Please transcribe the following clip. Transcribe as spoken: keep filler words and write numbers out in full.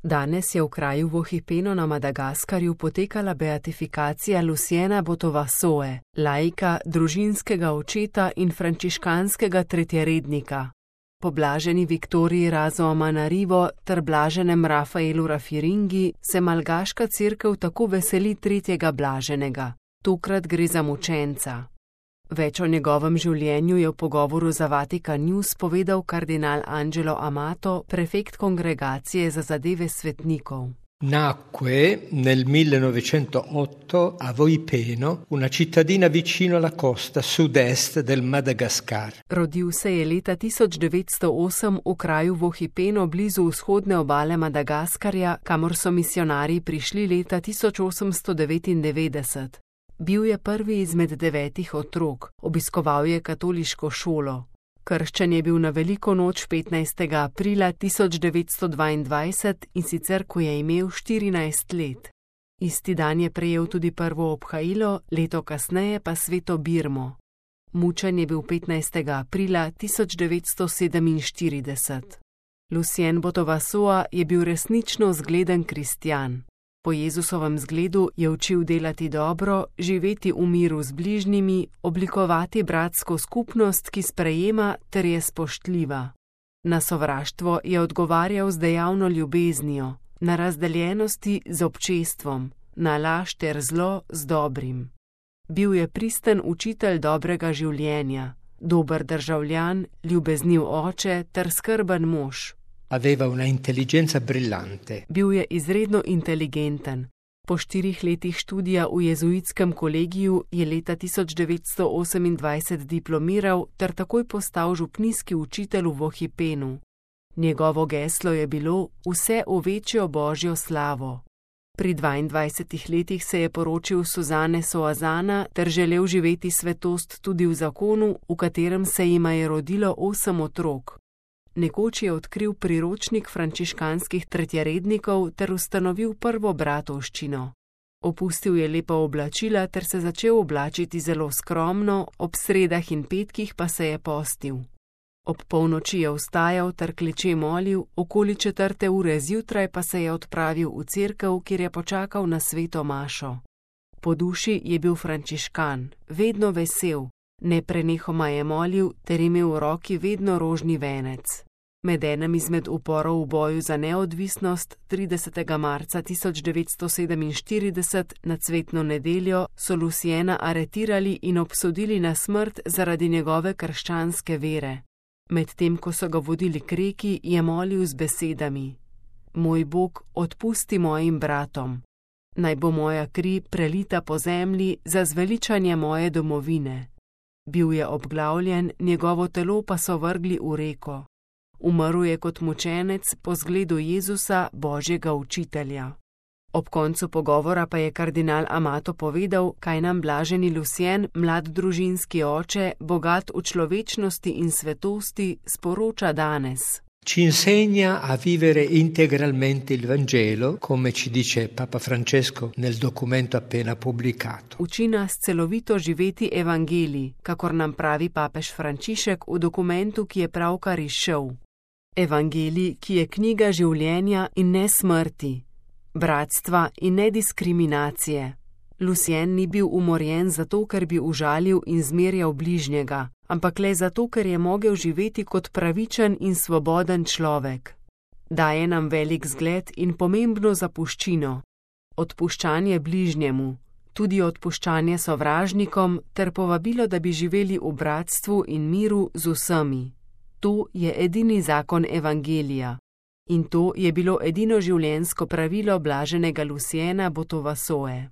Danes je v kraju Vohipeno na Madagaskarju potekala beatifikacija Luciena Botovasoe, laika, družinskega očeta in frančiškanskega tretjerednika. Po blaženi Viktoriji Razoamanarivo ter blaženem Rafaelu Rafiringi se malgaška cerkev tako veseli tretjega blaženega. Tokrat gre za mučenca. Več o njegovem življenju je v pogovoru za Vatikan News povedal kardinal Angelo Amato, prefekt kongregacije za zadeve svetnikov. Nacque nel millenovecentotto a Vohipeno, una cittadina vicino alla costa sud-est del Madagascar. Rodil se je leta tisoč devetsto osem v kraju Vohipeno blizu vzhodne obale Madagaskarja, kamor so misionarji prišli leta tisoč osemsto devetindevetdeset. Bil je prvi izmed devetih otrok, obiskoval je katoliško šolo. Krščen je bil na veliko noč petnajstega aprila tisoč devetsto dvaindvajset in sicer, ko je imel štirinajst let. Isti dan je prejel tudi prvo obhajilo, leto kasneje pa sveto birmo. Mučen je bil petnajstega aprila tisoč devetsto sedeminštirideset. Lucien Botovasoa je bil resnično zgleden kristjan. Po Jezusovem zgledu je učil delati dobro, živeti v miru z bližnjimi, oblikovati bratsko skupnost, ki sprejema ter je spoštljiva. Na sovraštvo je odgovarjal z dejavno ljubeznijo, na razdeljenosti z občestvom, na laž ter zlo z dobrim. Bil je pristen učitelj dobrega življenja, dober državljan, ljubezniv oče ter skrben mož. Aveva una intelligenza brillante. Bil je izredno inteligenten. Po štirih letih študija v jezuitskem kolegiju je leta tisoč devetsto osemindvajset diplomiral ter takoj postal župnijski učitelj v Vohipenu. Njegovo geslo je bilo vse v večjo božjo slavo. Pri dvaindvajsetih letih se je poročil Suzane Soazana ter želel živeti svetost tudi v zakonu, v katerem se jima je rodilo osem otrok. Nekoč je odkril priročnik frančiškanskih tretjerednikov ter ustanovil prvo bratovščino. Opustil je lepa oblačila ter se začel oblačiti zelo skromno, ob sredah in petkih pa se je postil. Ob polnoči je vstajal ter kleče molil, okoli četrte ure zjutraj pa se je odpravil v cerkev, kjer je počakal na sveto mašo. Po duši je bil frančiškan, vedno vesel, neprenehoma je molil ter imel v roki vedno rožni venec. Med enim izmed uporov v boju za neodvisnost, tridesetega marca tisoč devetsto sedeminštirideset na cvetno nedeljo, so Luciena aretirali in obsodili na smrt zaradi njegove krščanske vere. Medtem ko so ga vodili k reki, je molil z besedami: Moj Bog, odpusti mojim bratom. Naj bo moja kri prelita po zemlji za zveličanje moje domovine. Bil je obglavljen, njegovo telo pa so vrgli v reko. Umrl je kot mučenec po zgledu Jezusa, Božjega učitelja. Ob koncu pogovora pa je kardinal Amato povedal, kaj nam blaženi Lucien, mlad družinski oče, bogat v človečnosti in svetosti, sporoča danes. Ci insegna a vivere integralmente il Vangelo, come ci dice Papa Francesco nel documento appena pubblicato. Uči nas celovito živeti evangelij, kakor nam pravi papež Frančišek v dokumentu, ki je pravkar izšel. Evangelij, ki je knjiga življenja in ne smrti, bratstva in ne diskriminacije. Lucien ni bil umorjen zato, ker bi užalil in zmerjal bližnjega, ampak le zato, ker je mogel živeti kot pravičen in svoboden človek. Daje nam velik zgled in pomembno zapuščino. Odpuščanje bližnjemu, tudi odpuščanje sovražnikom ter povabilo, da bi živeli v bratstvu in miru z vsemi. To je edini zakon evangelija. In to je bilo edino življenjsko pravilo blaženega Luciena Botovasoe.